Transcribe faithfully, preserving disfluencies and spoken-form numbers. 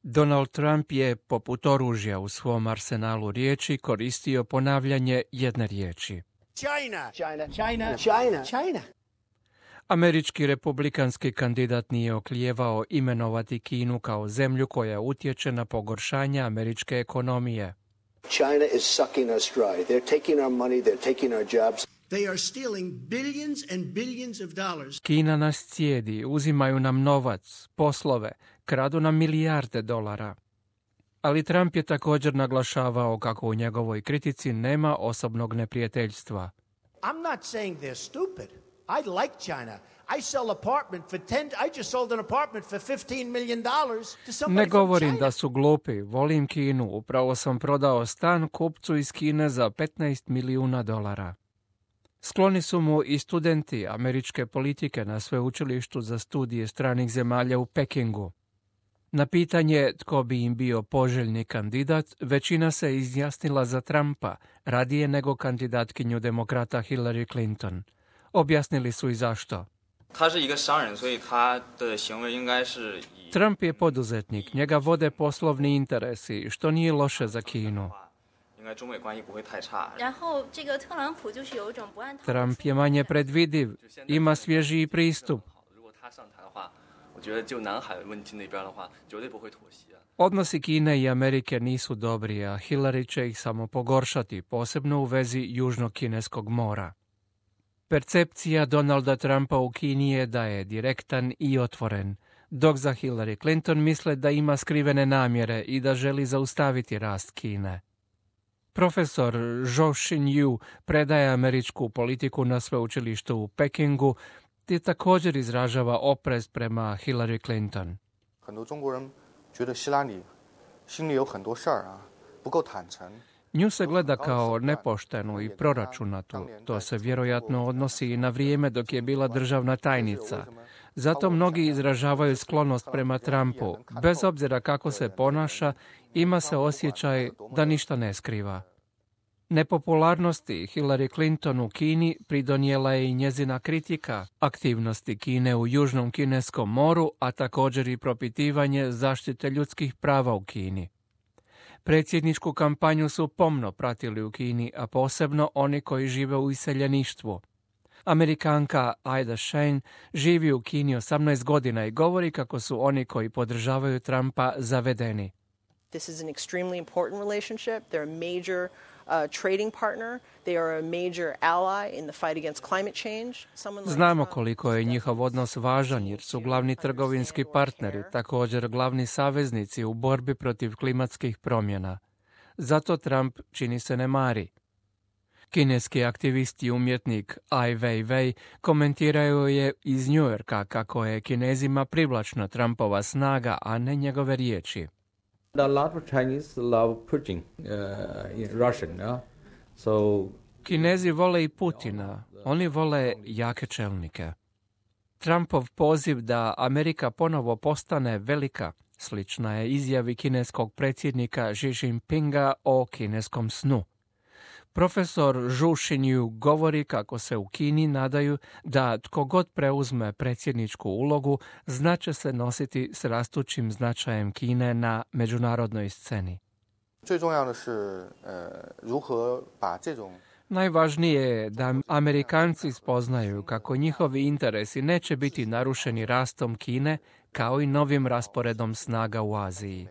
Donald Trump je, poput oružja u svom arsenalu riječi, koristio ponavljanje jedne riječi. China. China. China. China. China. Američki republikanski kandidat nije oklijevao imenovati Kinu kao zemlju koja utječe na pogoršanje američke ekonomije. China is sucking us dry. They're taking our money, they're taking our jobs. They are stealing billions and billions of dollars. Kina nas cijedi, uzimaju nam novac, poslove, kradu nam milijarde dolara. Ali Trump je također naglašavao kako u njegovoj kritici nema osobnog neprijateljstva. I'm not saying they're stupid. I like China. I sell apartment for ten I just sold an apartment for fifteen million dollars to somebody. Ne govorim da su glupi, volim Kinu. Upravo sam prodao stan kupcu iz Kine za petnaest milijuna dolara. Skloni su mu i studenti američke politike na sveučilištu za studije stranih zemalja u Pekingu. Na pitanje tko bi im bio poželjni kandidat, većina se izjasnila za Trumpa, radije nego kandidatkinju demokrata Hillary Clinton. Objasnili su i zašto. Trump je poduzetnik, njega vode poslovni interesi, što nije loše za Kinu. Trump je manje predvidiv, ima svježiji pristup. Odnosi Kine i Amerike nisu dobri, a Hillary će ih samo pogoršati, posebno u vezi Južnog kineskog mora. Percepcija Donalda Trumpa u Kini je da je direktan i otvoren, dok za Hillary Clinton misle da ima skrivene namjere i da želi zaustaviti rast Kine. Profesor Zhou Xinyu predaje američku politiku na sveučilištu u Pekingu te također izražava oprez prema Hillary Clinton. Nju se gleda kao nepoštenu i proračunatu. To se vjerojatno odnosi i na vrijeme dok je bila državna tajnica. Zato mnogi izražavaju sklonost prema Trumpu. Bez obzira kako se ponaša, ima se osjećaj da ništa ne skriva. Nepopularnosti Hillary Clinton u Kini pridonijela je i njezina kritika aktivnosti Kine u Južnom kineskom moru, a također i propitivanje zaštite ljudskih prava u Kini. Predsjedničku kampanju su pomno pratili u Kini, a posebno oni koji žive u iseljeništvu. Amerikanka Aida Shane živi u Kini osamnaest godina i govori kako su oni koji podržavaju Trumpa zavedeni. This is an extremely important relationship. They're a major uh, trading partner. They are a major ally in the fight against climate change. Like Znamo koliko je njihov odnos važan jer su glavni trgovinski partneri, također glavni saveznici u borbi protiv klimatskih promjena. Zato Trump čini se ne mari. Kineski aktivist i umjetnik Ai Weiwei komentiraju je iz New Yorka kako je Kinezima privlačna Trumpova snaga, a ne njegove riječi. A lot of Chinese love Putin uh, in Russian, yeah? So Kinezi vole i Putina, oni vole jake čelnike. Trumpov poziv da Amerika ponovo postane velika slična je izjavi kineskog predsjednika Xi Jinpinga o kineskom snu. Profesor Zhou Xinyu govori kako se u Kini nadaju da tko god preuzme predsjedničku ulogu znače se nositi s rastućim značajem Kine na međunarodnoj sceni. Najvažnije je da Amerikanci spoznaju kako njihovi interesi neće biti narušeni rastom Kine kao i novim rasporedom snaga u Aziji.